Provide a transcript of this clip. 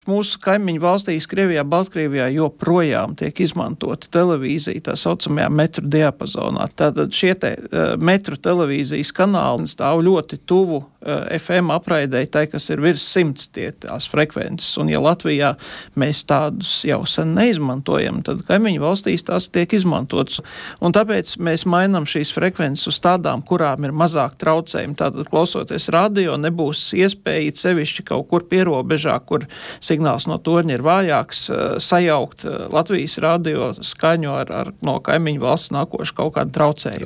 Mūsu kaimiņu valstīs, Krievijā, Baltkrievijā joprojām tiek izmantota televīzija tā saucamajā metru diapazonā. Tātad šie metru televīzijas kanāli stāv ļoti tuvu FM apraidei, tai, kas ir virs 100 tās frekvences. Un ja Latvijā mēs tādus jau sen neizmantojam, tad kaimiņu valstīs tās tiek izmantotas. Un tāpēc mēs mainām šīs frekvences uz tādām, kurām ir mazāk traucējumi. Tātad, klausoties radio, nebūs iespēja sevišķi kaut kur pierobežā, kur signāls no torņa ir vājāks, sajaukt Latvijas radio skaņu ar no kaimiņu valsts nākošu kaut kādu traucējumu.